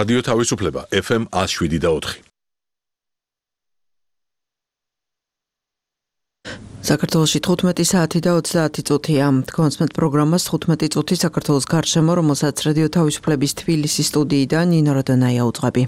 რადიო თავისუფლება FM 107.4. საქართველოში 15 საათი და 30 წუთია. კონსმენტ პროგრამას 15 წუთი საქართველოს გარშემო, რომელსაც რადიო თავისუფლების თბილისის სტუდიიდან ნინო როდონაია უძღვები.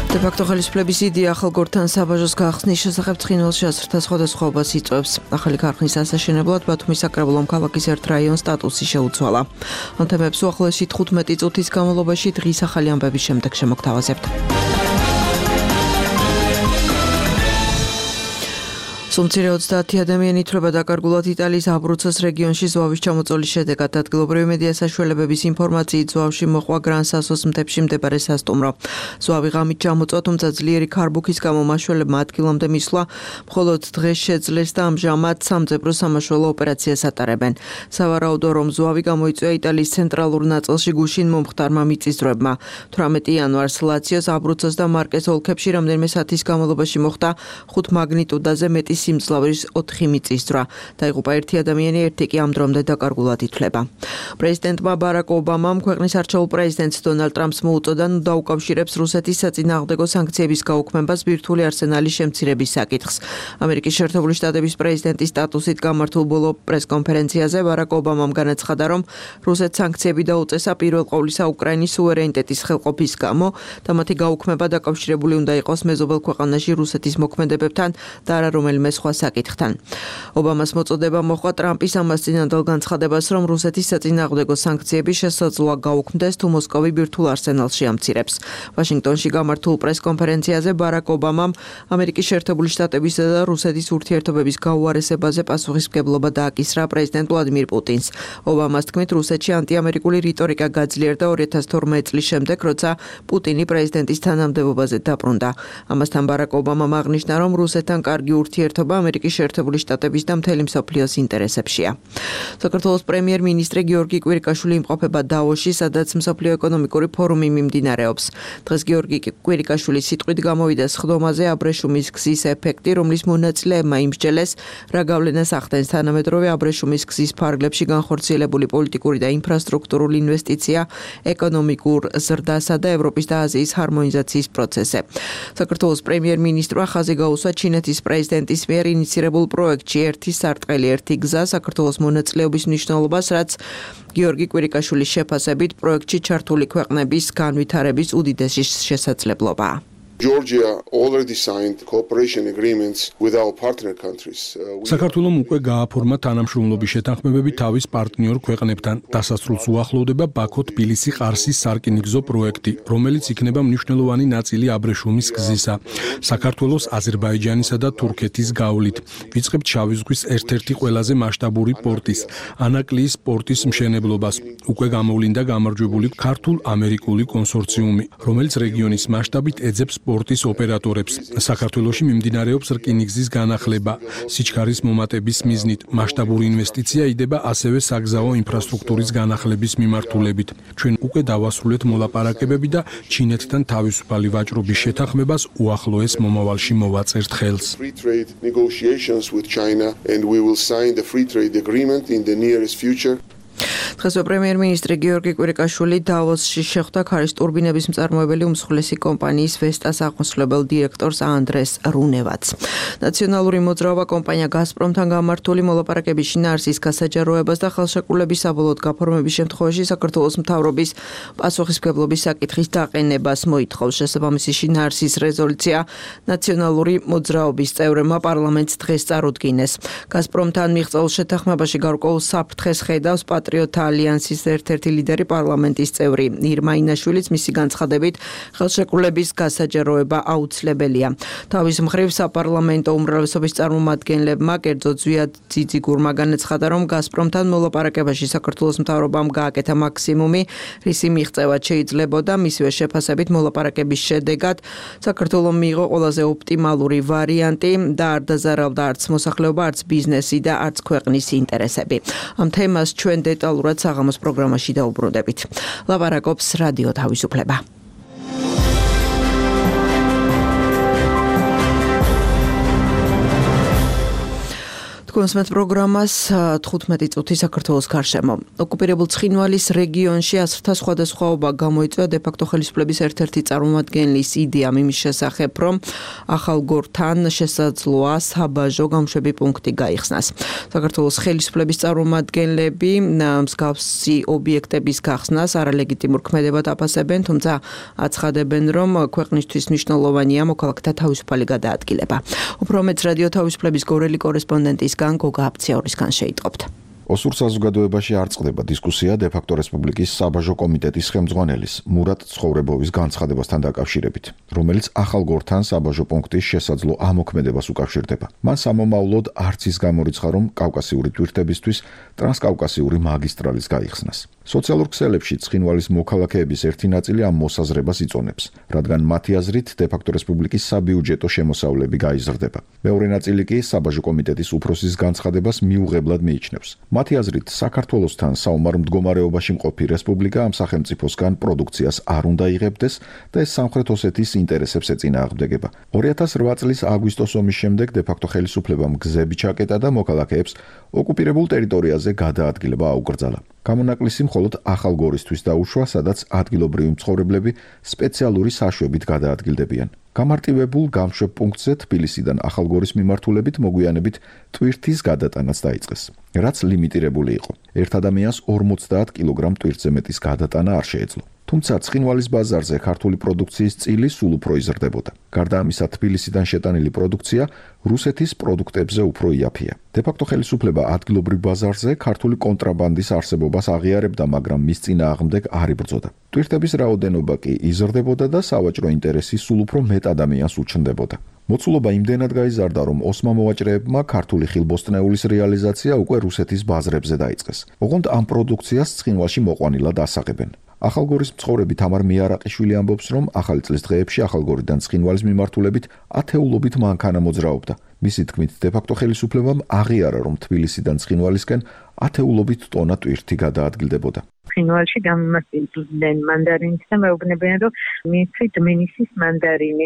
დე-ფაქტო ხელისუფლების იდეა ახალგორთან საბაჟოს გახსნის შესახებ ცხინვალში ასრთა სხვადასხვაობას იწვევს. ახალი ქარხნის ასაშენებლად ბათუმის საკრებულომ ქალაქის ერთ რაიონს სტატუსი შეუცვალა. ამ თემებს უახლოესი 15 წუთის განმავლობაში დღის ახალი ამბების შემდეგ შემოგთავაზებთ. სულ-მცირე 30 ადამიანი ითვლება დაკარგულად იტალიის აბრუცოს რეგიონში ზვავის ჩამოწოლის შედეგად. ადგილობრივი მედია საშუალებების ინფორმაციით ზვავში მოყვა გრან-სასოს მთებში მდებარე სასტუმრო. ზვავი ღამით ჩამოწვა, თუმცა ძლიერი ქარბუქის გამო მაშველებმა ადგილამდე მისვლა მხოლოდ დღეს შეძლეს და ამჟამად სამძებრო სამაშველო ოპერაციას ატარებენ. სავარაუდო რომ ზვავი გამოიწვია იტალიის ცენტრალურ ნაწილში გუშინ მომხდარმა მიწისძვრებმა. 18 იანვარს ლაციოს, აბრუცოს და მარკეს ოლქებში რამდენიმე საათის განმავლობაში მოხდა 5 მაგნიტუდაზე მეტი სიმძლავრის 4 მიწისძვრა. დაიღუპა 1 ადამიანი, 1 კი ამ დრომდე დაკარგულად ითვლება. პრეზიდენტმა ბარაკ ობამამ ქვეყნის არჩეულ პრეზიდენტს დონალდ ტრამპს მოუწოდა დაუკავშირებს რუსეთის საწინააღმდეგო სანქციების გაუქმებას ბირთვული არსენალის შემცირების საკითხს. ამერიკის შეერთებული შტატების პრეზიდენტის სტატუსით გამართულ ბოლო პრესკონფერენციაზე ბარაკ ობამამ განაცხადა, რომ რუსეთს სანქციები დაუწესა პირველ ყოვლისა უკრაინის სუვერენიტეტის ხელყოფის გამო და მათი გაუქმება დაკავშირებული უნდა იყოს მეზობელ ქვეყანაში რუსეთის მოქმედებებთან და არა რომელიმე სხვა საკითხთან. ობამას მოწოდება მოჰყვა ტრამპის ამას წინანდელ განცხადებას, რომ რუსეთის საწინააღმდეგო სანქციები შესაძლოა გაუქმდეს, თუ მოსკოვი ბირთვულ არსენალს შეამცირებს. ვაშინგტონში გამართულ პრესკონფერენციაზე ბარაკ ობამამ ამერიკის შეერთებული შტატებისა და რუსეთის ურთიერთობების გაუარესებაზე პასუხისმგებლობა დააკისრა პრეზიდენტ ვლადიმირ პუტინს. ობამას თქმით, რუსეთში ანტიამერიკული რიტორიკა გაძლიერდა 2012 წლის შემდეგ, როცა პუტინი პრეზიდენტის თანამდებობაზე დაბრუნდა. ამასთან ბარაკ ობამამ აღნიშნა, რომ რუსეთთან კარგი ურთიერთობა ამერიკის შეერთებული შტატების და მთელი მსოფლიოს ინტერესებშია. საქართველოს პრემიერ-მინისტრი გიორგი კვირიკაშვილი იმყოფება დავოში, სადაც მსოფლიო ეკონომიკური ფორუმი მიმდინარეობს. დღეს გიორგი კვირიკაშვილის სიტყვით გამოვიდა სხდომაზე აბრეშუმის გზის ეფექტი, რომლის მონაწილეებმა იმსჯელეს, რა გავლენას ახდენს თანამედროვე აბრეშუმის გზის ფარგლებში განხორციელებული პოლიტიკური და ინფრასტრუქტურული ინვესტიცია ეკონომიკურ ზრდასა და ევროპის და აზიის ჰარმონიზაციის პროცესზე. საქართველოს პრემიერ-მინისტრმა ხაზი გაუსვა ჩინეთის პრეზიდენტის მიერ ინიცირებულ პროექტში ერთი სარტყელი, ერთი გზა საქართველოს მონაწილეობის მნიშვნელობას, რაც გიორგი კვირიკაშვილის შეფასებით პროექტში ჩართული ქვეყნების განვითარების უდიდესი შესაძლებლობაა. Georgia already signed cooperation agreements with our partner countries. საქართველომ უკვე გააფორმა თანამშრომლობის შეთანხმებები თავის პარტნიორ ქვეყნებთან. დასასრულს უახლოვდება ბაქო-თბილისი-ყარსის სარკინიგზო პროექტი, რომელიც იქნება მნიშვნელოვანი ნაწილი აბრეშუმის გზისა. საქართველოს, აზერბაიჯანისა და თურქეთის გავლით. ვიწყებთ შავი ზღვის ერთ-ერთი ყველაზე მასშტაბური პორტის, ანაკლიის პორტის მშენებლობას. უკვე გამოვლინდა გამარჯვებული ქართულ-ამერიკული კონსორციუმი, რომელიც რეგიონის მასშტაბით ეძებს სპორტის ოპერატორებს. საქართველოში მიმდინარეობს რკინიგზის განახლება. სიჩქარის მომატების მიზნით მასშტაბური ინვესტიცია იდება ასევე საგზაო ინფრასტრუქტურის განახლების მიმართულებით. ჩვენ უკვე დავასრულეთ მოლაპარაკებები და ჩინეთთან თავისუფალი ვაჭრობის შეთანხმებას უახლოეს მომავალში მოვაწერთ ხელს. Free trade negotiations with China and we will sign the free trade agreement in the nearest future. დღესვე პრემიერ-მინისტრი გიორგი კვირიკაშვილი დავოსში შეხვდა ქარის ტურბინების მწარმოებელი უმსხვილესი კომპანიის ვესტას აღმასრულებელ დირექტორს ანდრეს რუნევაც. ნაციონალური მოძრაობა კომპანია გაზპრომთან გამართული მოლაპარაკების შინაარსის გასაჯაროებას და ხელშეკრულების საბოლოოდ გაფორმების შემთხვევაში საქართველოს მთავრობის პასუხისმგებლობის საკითხის დაყენებას მოითხოვს. შესაბამისი შინაარსის რეზოლუცია ნაციონალური მოძრაობის წევრებმა პარლამენტს დღეს წარუდგინეს. გაზპრომთან მიღწეულ შეთანხმებაში გარკვეულ საფრთხეს ხედავს პატრიოტთა ალიანსის ერთ-ერთი ლიდერი პარლამენტის წევრი ირმა ინაშვილიც, მისი განცხადებით ხელშეკრულების გასაჯაროება აუცილებელია. თავის მხრივ საპარლამენტო უმრავლესობის წარმომადგენლებმა, კერძოდ ზვიად ძიძიგურმა განაცხადა, რომ გაზპრომთან მოლაპარაკებაში საქართველოს მთავრობამ გააკეთა მაქსიმუმი, რისი მიღწევაც შეიძლებოდა. მისივე შეფასებით მოლაპარაკების შედეგად საქართველომ მიიღო ყველაზე ოპტიმალური ვარიანტი და არ დაზარავდა არც მოსახლეობა, არც ბიზნესი და არც ქვეყნის ინტერესები. ამ თემას ჩვენ დეტალურად საღამოს პროგრამაში დაუბრუნდებით. ლაპარაკობს რადიო თავისუფლება. გვესმენთ პროგრამას 15 წუთი საქართველოს გარშემო. ოკუპირებულ ცხინვალის რეგიონში ასრთა სხვადასხვაობა გამოიწვია დე-ფაქტო ხელისუფლების ერთ-ერთი წარმომადგენლის იდეამ იმის შესახებ, რომ ახალგორთან შესაძლოა საბაჟო გამშვები პუნქტი გაიხსნას. საქართველოს ხელისუფლების წარმომადგენლები მსგავსი ობიექტების გახსნას არალეგიტიმურ ქმედებად აფასებენ, თუმცა აცხადებენ, რომ ქვეყნისთვის მნიშვნელოვანია მოქალაქეთა თავისუფალი გადაადგილება. უფრო მეტ რადიო თავისუფლების გორელი კორესპონდენტისგან გოგა აფციაურისგან შეიტყობთ. ოსურ საზოგადოებაში არ წყდება დისკუსია დე-ფაქტო რესპუბლიკის საბაჟო კომიტეტის ხელმძღვანელის მურატ ცხოვრებოვის განცხადებასთან დაკავშირებით, რომელიც ახალგორთან საბაჟო პუნქტის შესაძლო ამოქმედებას უკავშირდება. მან სამომავლოდ არც ის გამორიცხა, რომ კავკასიური ტვირთებისთვის ტრანსკავკასიური მაგისტრალის გაიხსნას. სოციალურ ქსელებში ცხინვალის მოქალაქეების ერთი ნაწილი ამ მოსაზრებას იწონებს, რადგან მათი აზრით დე-ფაქტო რესპუბლიკის საბიუჯეტო შემოსავლები გაიზრდება. მეორე ნაწილი კი საბაჟო კომიტეტის უფროსის განცხადებას მიუღებლად მიიჩნევს. მათი აზრით, საქართველოსთან საომარ მდგომარეობაში მყოფი რესპუბლიკა ამ სახელმწიფოსგან პროდუქციას არ უნდა იღებდეს და ეს სამხრეთ ოსეთის ინტერესებს ეწინააღმდეგება. 2008 წლის აგვისტოს ომის შემდეგ დე-ფაქტო ხელისუფლებამ გზები ჩაკეტა და მოქალაქეებს ოკუპირებულ ტერიტორიაზე გადაადგილება აუკრძალა. გამონაკლისი მხოლოდ ახალგორისთვის დაუშვა, სადაც ადგილობრივი მცხოვრებლები სპეციალური საშვებით გადაადგილდებიან. გამარტივებულ გამშვებ პუნქტზე თბილისიდან ახალგორის მიმართულებით მოგვიანებით ტვირთის გადატანაც დაიწყეს, რაც ლიმიტირებული იყო. ერთ ადამიანს 50 კილოგრამ ტვირთზე მეტის გადატანა არ შეეძლო. თუმცა ცხინვალის ბაზარზე ქართული პროდუქციის წილი სულ უფრო იზრდებოდა. გარდა ამისა, თბილისიდან შეტანილი პროდუქცია რუსეთის პროდუქტებზე უფრო იაფია. დე-ფაქტო ხელისუფლება ადგილობრივ ბაზარზე ქართული კონტრაბანდის არსებობას აღიარებდა, მაგრამ მის წინააღმდეგ არ იბრძოდა. ტვირთების რაოდენობა კი იზრდებოდა და სავაჭრო ინტერესი სულ უფრო მეტ ადამიანს უჩნდებოდა. მოცულობა იმდენად გაიზარდა, რომ ოსმა მოვაჭრეებმა ქართული ხილბოსტნეულის რეალიზაცია უკვე რუსეთის ბაზრებზე დაიწყეს. ოღონდ ამ პროდუქციას ცხინვალში მოყვანილად ასაღებენ. ახალგორის მცხოვრები თამარ მიარაყიშვილი ამბობს, რომ ახალი წლის დღეებში ახალგორიდან ცხინვალის მიმართულებით ათეულობით მანქანა მოძრაობდა. მისი თქმით, დე-ფაქტო ხელისუფლებამ აღიარა, რომ თბილისიდან ცხინვალისკენ ათეულობით ტონა ტვირთი გადაადგილდებოდა. ცხინვალში გამომასწორებენ მანდარინს და მეუბნებიან, რომ მიცით მინისის მანდარინი,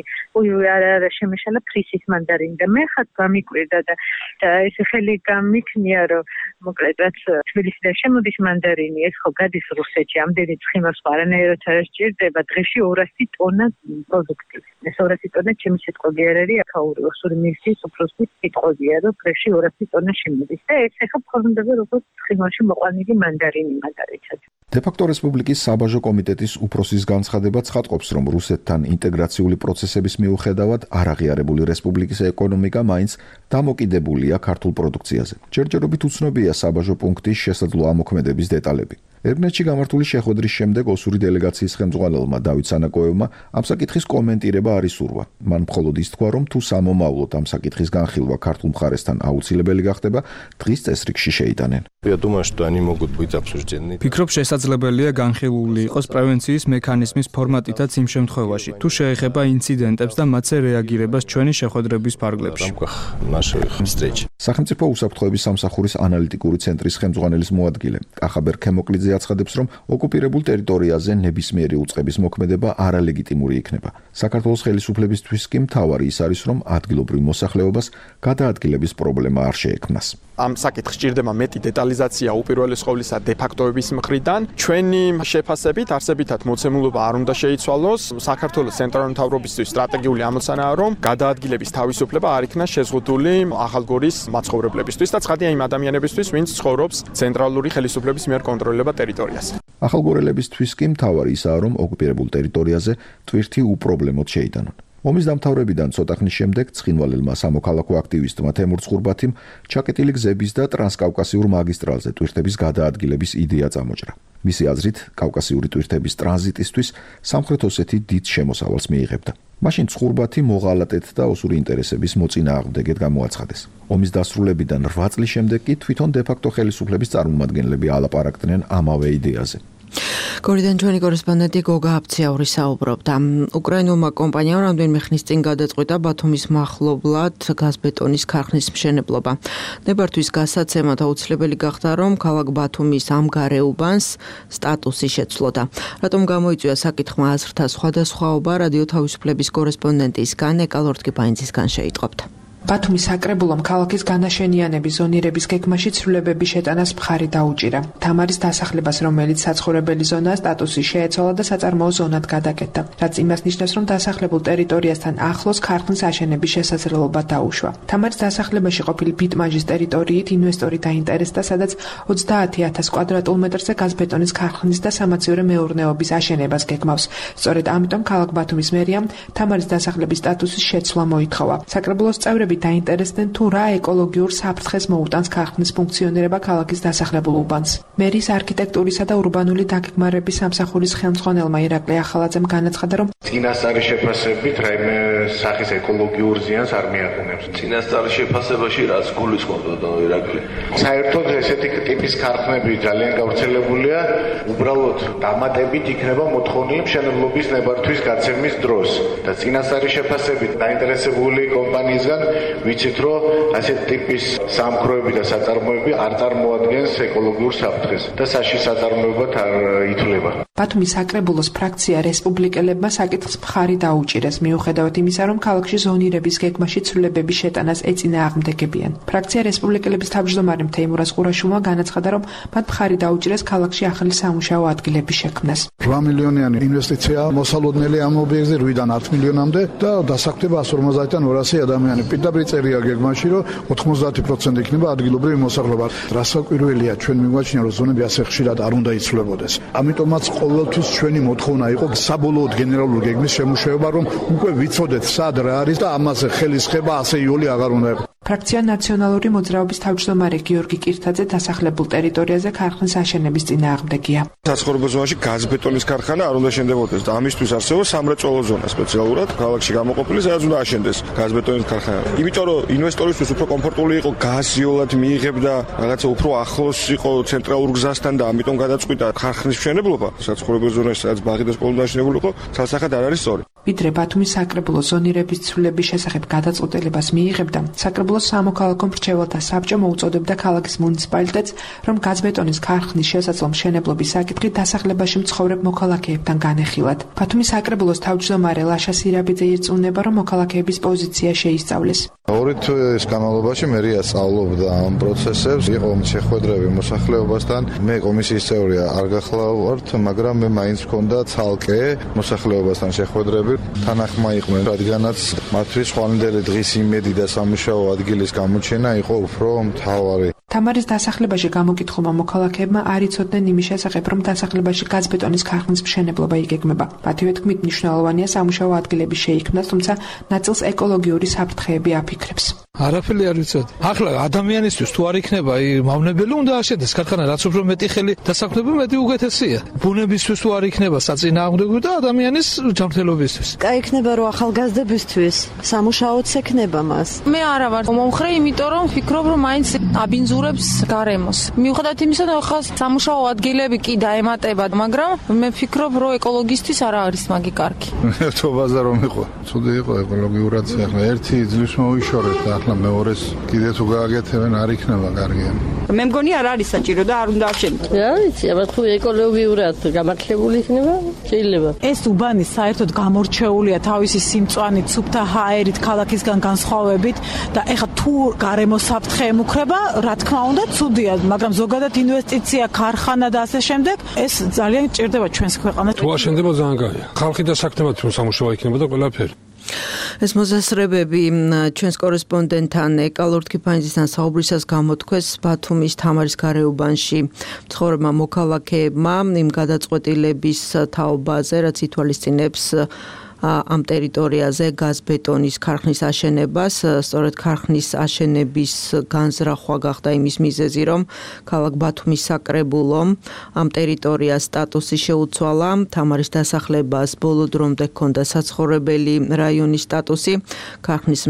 არა შემეშალა ფრისის მანდარინი და მე ხათ გამიკვირდა და ეს ხელი გამიქნია, რომ მოკლედ რაც თბილისიდან შემოდის მანდარინი, ეს ხო გადის რუსეთში, ამდენი ცხინვალს არანაირად არ სჭირდება, დღეში 200 ტონა პროდუქტი. ეს 200 ტონა ჩემი სიტყვები არ არის, აქაური ოსური მინისტრის უფროსის სიტყვებია, რომ დღეში 200 ტონა შემოდის და ეს ახლა ფორმდება როგორც ცხინვალში მოყვანილი მანდარინი მაგალითად. დე-ფაქტო რესპუბლიკის საბაჟო კომიტეტის უფროსის განცხადება ცხადყოფს, რომ რუსეთთან ინტეგრაციული პროცესების მიუხედავად არაღიარებული რესპუბლიკის ეკონომიკა მაინც დამოკიდებულია ქართულ პროდუქციაზე. ჯერჯერობით უცნობია საბაჟო პუნქტის შესაძლო ამოქმედების დეტალები. ერგნეთში გამართული შეხვედრის შემდეგ ოსური დელეგაციის ხელმძღვანელმა დავით სანაკოევმა ამ საკითხის კომენტირება არ ისურვა. მან მხოლოდ ის თქვა, რომ თუ სამომავლოდ ამ საკითხის განხილვა ქართულ მხარესთან აუცილებელი გახდება, დღის წესრიგში შეიტანენ. ფიქრობ, შესაძლებელია განხილული იყოს პრევენციის მექანიზმის ფორმატითაც იმ შემთხვევაში, თუ შეეხება ინციდენტებს და მათზე რეაგირებას ჩვენი შეხვედრების ფარგლებში. სახელმწიფო უსაფრთხოების სამსახურის ანალიტიკური ცენტრის ხელმძღვანელის მოადგილე კახაბერ ქემოკლიძე აცხადებს, რომ ოკუპირებულ ტერიტორიაზე ნებისმიერი უწყების მოქმედება არალეგიტიმური იქნება. საქართველოს ხელისუფლებისთვის კი მთავარი ის არის, რომ ადგილობრივ მოსახლეობას გადაადგილების პრობლემა არ შეექმნას. ამ საკითხს სჭირდება მეტი დეტალიზაცია უპირველეს ყოვლისა დე-ფაქტოების მხრიდან. ჩვენი შეფასებით არსებითად მოცემულობა არ უნდა შეიცვალოს. საქართველოს ცენტრალური მთავრობისთვის სტრატეგიული ამოცანაა, რომ გადაადგილების თავისუფლება არ იქნა შეზღუდული ახალგორის მაცხოვრებლებისთვის და ცხადია იმ ადამიანებისთვის, ვინც ცხოვრობს ცენტრალური ხელისუფლების მიერ კონტროლირებულ ტერიტორიაზე. ახალგორელებისთვის კი მთავარი ისაა, რომ ოკუპირებულ ტერიტორიაზე ტვირთი უპრობლემოდ შეიტანონ. ომის დამთავრებიდან ცოტა ხნის შემდეგ ცხინვალელმა სამოქალაქო აქტივისტმა თემურ ცხურბათიმ ჩაკეტილი გზების და ტრანსკავკასიურ მაგისტრალზე ტვირთების გადაადგილების იდეა წამოჭრა. მისი აზრით, კავკასიური ტვირთების ტრანზიტისთვის სამხრეთ ოსეთი დიდ შემოსავალს მიიღებდა. მაშინ ცხურბათი მოღალატეთ და ოსური ინტერესების მოწინააღმდეგედ გამოაცხადეს. ომის დასრულებიდან 8 წლის შემდეგ კი თვითონ დე-ფაქტო ხელისუფლების წარმომადგენლები ალაპარაკდნენ ამავე იდეაზე. გორიდან ჩვენი კორესპონდენტი გოგა აფციაური საუბრობდა. უკრაინულმა კომპანიამ რამდენიმე ხნის წინ გადაწყვიტა ბათუმის მახლობლად გაზბეტონის ქარხნის მშენებლობა. ნებართვის გასაცემად აუცილებელი გახდა, რომ ქალაქ ბათუმის ამ გარეუბანს სტატუსი შეცვლოდა. რატომ გამოიწვია საკითხმა აზრთა სხვადასხვაობა, რადიო თავისუფლების კორესპონდენტისგან ეკალორტკი პაინცისგან შეიტყობთ. ბათუმის საკრებულომ ქალაქის განაშენიანების ზონირების გეგმაში ცვლილებების შეტანას მხარი დაუჭირა. თამარის დასახლებას, რომელიც საცხოვრებელი ზონაა, სტატუსი შეეცვალა და საწარმოო ზონად გადაკეთდა, რაც იმას ნიშნავს, რომ დასახლებულ ტერიტორიასთან ახლოს ქარხნის აშენების შესაძლებლობა დაუშვა. თამარის დასახლებაში ყოფილი ბიტმაჟის ტერიტორიით ინვესტორი დაინტერესდა, სადაც 30,000 კვადრატულ მეტრზე გაზბეტონის ქარხნის და სამაციურო მეურნეობის აშენებას გეგმავს. სწორედ ამიტომ ქალაქ ბათუმის მერიამ თამარის დასახლების სტატუსის შეცვლა მოითხოვა. საკრებულოს წევრები დაინტერესდნენ თუ რა ეკოლოგიურ საფრთხეს მოუტანს ქარხნის ფუნქციონირება ქალაქის დასახლებულ უბანს. მერის არქიტექტურისა და ურბანული დაგეგმარების სამსახურის ხელმძღვანელმა ირაკლი ახალაძემ განაცხადა, რომ წინასწარი შეფასებით რაიმე სახის ეკოლოგიურ ზიანს არ მიაყენებს. წინასწარი შეფასებაში რაც გულისხმობდა ირაკლი. საერთოდ ესეთი ტიპის ქარხნები ძალიან გავრცელებულია, უბრალოდ დამატებით იქნება მოთხოვნილი მშენებლობის ნებართვის გაცემის დროს და წინასწარი შეფასებით დაინტერესებული კომპანიისგან ვიცით, რომ ასეთ ტიპის სამქროები და საწარმოები არ წარმოადგენს ეკოლოგიურ საფრთხეს და საშიშ საწარმოებად არ ითვლება. ბათუმის საკრებულოს ფრაქცია რესპუბლიკელებმა საკითხს მხარი დაუჭირეს, მიუხედავად იმისა, რომ ქალაქში ზონირების გეგმაში ცვლილებების შეტანას ეწინააღმდეგებიან. ფრაქცია რესპუბლიკელების თავმჯდომარე თეიმურაზ ყურაშვილმა განაცხადა, რომ მათ მხარი დაუჭირეს ქალაქში ახალი სამუშაო ადგილების შექმნას. 8 მილიონიანი ინვესტიცია მოსალოდნელი ამ ობიექტზე 8-დან 10 მილიონამდე და დასაქმდება 150-დან 200 ადამიანი. პირდაპირ წერია გეგმაში, რომ 90% იქნება ადგილობრივი მოსახლეობა. რასაკვირველია, ჩვენ მიგვაჩნია, რომ ზონები ასე ხშირად არ უნდა იცვლებოდეს. ამიტომაც ყოველთვის ჩვენი მოთხოვნა იყო საბოლოოდ გენერალური გეგმის შემუშავება, რომ უკვე ვიცოდეთ სად რა არის და ამაზე ხელისხება ასე იოლი აღარ უნდა იყოს. ფრაქცია ნაციონალური მოძრაობის თავმჯდომარე გიორგი კირთაძე დასახლებულ ტერიტორიაზე ქარხნის აშენების წინააღმდეგია. საცხოვრებელ ზონაში გაზბეტონის ქარხანა არ უნდა შენდებოდეს და ამისთვის არსებობს სამრეწველო ზონა სპეციალურად ქალაქში გამოყოფილი, სადაც უნდა აშენდეს გაზბეტონის ქარხანა. იმიტომ რომ ინვესტორისთვის უფრო კომფორტული იყო გაზიოლად მიიღებდა, რაღაცა უფრო ახლოს იყო ცენტრალურ გზასთან და ამიტომ გადაწყვიტა ქარხნის მშენებლობა საცხოვრებელ ზონაში, სადაც ბაღი და სკოლა დაშენებული იყო, ცალსახად არ არის სწორი. ვიდრე ბათუმის საკრებულო ზონირების ცვლილების შესახებ გადაწყვეტილებას მიიღებდა, საკრებულოს სამოქალაქო მრჩეველთა საბჭო მოუწოდებდა ქალაქის მუნიციპალიტეტს, რომ გაზბეტონის ქარხნის შესაძლო მშენებლობის საკითხი დასახლებაში მცხოვრებ მოქალაქეებთან განეხილათ. ბათუმის საკრებულოს თავმჯდომარე ლაშა სირაბიძე ირწმუნება, რომ მოქალაქეების პოზიცია შეისწავლეს. ორი თვის განმავლობაში მერია სწავლობდა ამ პროცესებს, იყო შეხვედრები მოსახლეობასთან. მე კომისიის წევრია არ გახლავართ, მაგრამ მე მაინც მქონდა ცალკე მოსახლეობასთან შეხვედრები. თანახმა იყვნენ, რადგანაც მათთვის ხვალინდელი დღის იმედი და სამუშაო ადგილის გამოჩენა იყო უფრო მთავარი. თამარის დასახლებაში გამოკითხულმა მოქალაქეებმა არ იცოდნენ იმის შესახებ, რომ დასახლებაში გაზბეტონის ქარხნის მშენებლობა იგეგმება. მათივე თქმით, მნიშვნელოვანია სამუშაო ადგილების შეიქმნას, თუმცა ნაწილს ეკოლოგიური საფრთხეები აფიქრებს. არაფერი არ ვიცოდი. ახლა ადამიანისთვის თუ არ იქნება მავნებელი უნდა აშენდეს ქარხანა, რაც უფრო მეტი ხელი დასაქმება, მეტი უკეთესია. ბუნებისთვის თუ არ იქნება საწინააღმდეგო და ადამიანის ჯანმრთელობისთვის. კაი იქნება რომ ახალგაზრდებისთვის სამუშაოც ექნება მას. მე არა ვარ მომხრე, იმიტომ რომ ვფიქრობ, რომ მაინც აბინძურებს გარემოს. მიუხედავად იმისა, რომ ხა სამუშაო ადგილები კი დაემატება, მაგრამ მე ვფიქრობ, რომ ეკოლოგისტვის არ არის მაგი კარგი. ერთობაზე რომ იყო, ცუდი იყო ეკოლოგიურად. ახლა ერთი ძლივს მოიშორეთ და ახლა მეორეს კიდე თუ გააკეთებენ არ იქნება კარგი. მე მგონი არ არის საჭირო და არ უნდა აღშენოთ. რა ვიცი, აბა თუ ეკოლოგიურად გამართლებული იქნება, შეიძლება. ეს უბანი საერთოდ გამორჩეულია თავისი სიმწვანით, სუფთა ჰაერით, ქალაქისგან განსხვავებით და ეხლა თუ გარემოს საფრთხე ემუქრება, რა თქმა უნდა, ცუდია, მაგრამ ზოგადად ინვესტიცია, ქარხანა და ასე შემდეგ, ეს ძალიან ჭირდება ჩვენს ქვეყანას. თუ აშენდება ძალიან კარგია. ხალხი დასაქმებად სამუშაო იქნება და ყველაფერი. ეს მოსაზრებები ჩვენს კორესპონდენტთან ეკა ლორთქიფანიძისთან საუბრისას გამოთქვეს ბათუმის თამარის გარეუბანში მცხოვრებმა მოქალაქეებმა იმ გადაწყვეტილების თაობაზე, რაც ითვალისწინებს ამ ტერიტორიაზე გაზბეტონის ქარხნის აშენებას. სწორედ ქარხნის აშენების განზრახვა გახდა იმის მიზეზი, რომ ქალაქ ბათუმის საკრებულომ ამ ტერიტორიას სტატუსი შეუცვალა. თამარის დასახლებას ბოლო დრომდე ჰქონდა საცხოვრებელი რაიონის სტატუსი. ქარხნის